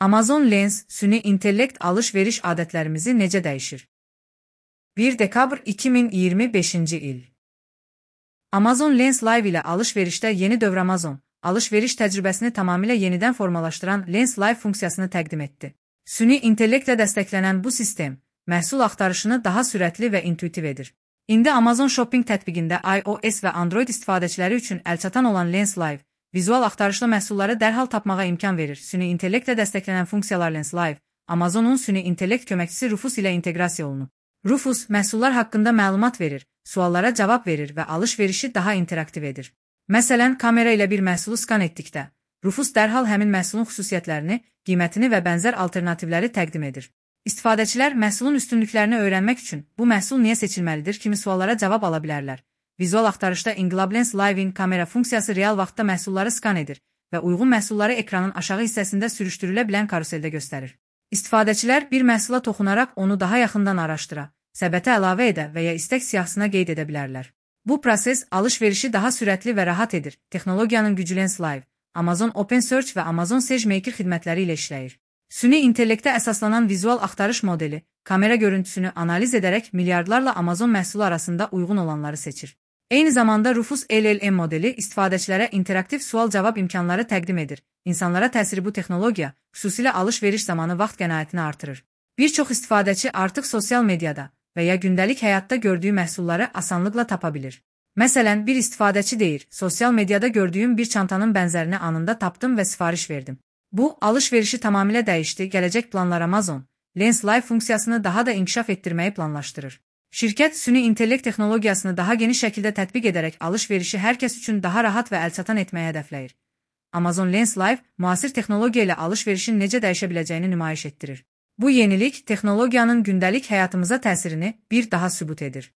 Amazon Lens, süni intellekt alış-veriş adətlərimizi necə dəyişir? 1 dekabr 2025-ci il. Amazon Lens Live ilə alış-verişdə yeni dövr Amazon, alış-veriş təcrübəsini tamamilə yenidən formalaşdıran Lens Live funksiyasını təqdim etdi. Süni intellektlə dəstəklənən bu sistem, məhsul axtarışını daha sürətli və intuitiv edir. İndi Amazon Shopping tətbiqində iOS və Android istifadəçiləri üçün əlçatan olan Lens Live, vizual axtarışlı məhsulları dərhal tapmağa imkan verir. Süni intellektlə dəstəklənən funksiyalar Lens Live, Amazonun süni intellekt köməkçisi Rufus ilə inteqrasiya olunub. Rufus, məhsullar haqqında məlumat verir, suallara cavab verir və alış-verişi daha interaktiv edir. Məsələn, kamera ilə bir məhsulu skan etdikdə, Rufus dərhal həmin məhsulun xüsusiyyətlərini, qiymətini və bənzər alternativləri təqdim edir. İstifadəçilər məhsulun üstünlüklərini öyrənmək üçün bu məhsul niyə seçilməlidir kimi suallara cavab ala bilərlər. Vizual axtarışda İnqilab Lens Live-in kamera funksiyası real vaxtda məhsulları skan edir və uyğun məhsulları ekranın aşağı hissəsində sürüşdürülə bilən karuseldə göstərir. İstifadəçilər bir məhsula toxunaraq onu daha yaxından araşdıra, səbətə əlavə edə və ya istək siyahısına qeyd edə bilərlər. Bu proses alış-verişi daha sürətli və rahat edir. Texnologiyanın gücü Lens Live, Amazon Open Search və Amazon SageMaker xidmətləri ilə işləyir. Süni intellektə əsaslanan vizual axtarış modeli, kamera görüntüsünü analiz edərək milyardlarla Amazon məhsulu arasında uyğun olanları seçir. Eyni zamanda Rufus LLM modeli istifadəçilərə interaktiv sual-cavab imkanları təqdim edir. İnsanlara təsiri bu texnologiya, xüsusilə alış-veriş zamanı vaxt qənaətini artırır. Bir çox istifadəçi artıq sosial mediada və ya gündəlik həyatda gördüyü məhsulları asanlıqla tapa bilir. Məsələn, bir istifadəçi deyir, sosial mediada gördüyüm bir çantanın bənzərini anında tapdım və sifariş verdim. Bu, alış-verişi tamamilə dəyişdi. Gələcək planlar Amazon, Lens Live funksiyasını daha da inkişaf etdirməyi planlaşdırır. Şirkət süni intellekt texnologiyasını daha geniş şəkildə tətbiq edərək alış-verişi hər kəs üçün daha rahat və əlçatan etməyə hədəfləyir. Amazon Lens Live, müasir texnologiya ilə alış-verişin necə dəyişə biləcəyini nümayiş etdirir. Bu yenilik texnologiyanın gündəlik həyatımıza təsirini bir daha sübut edir.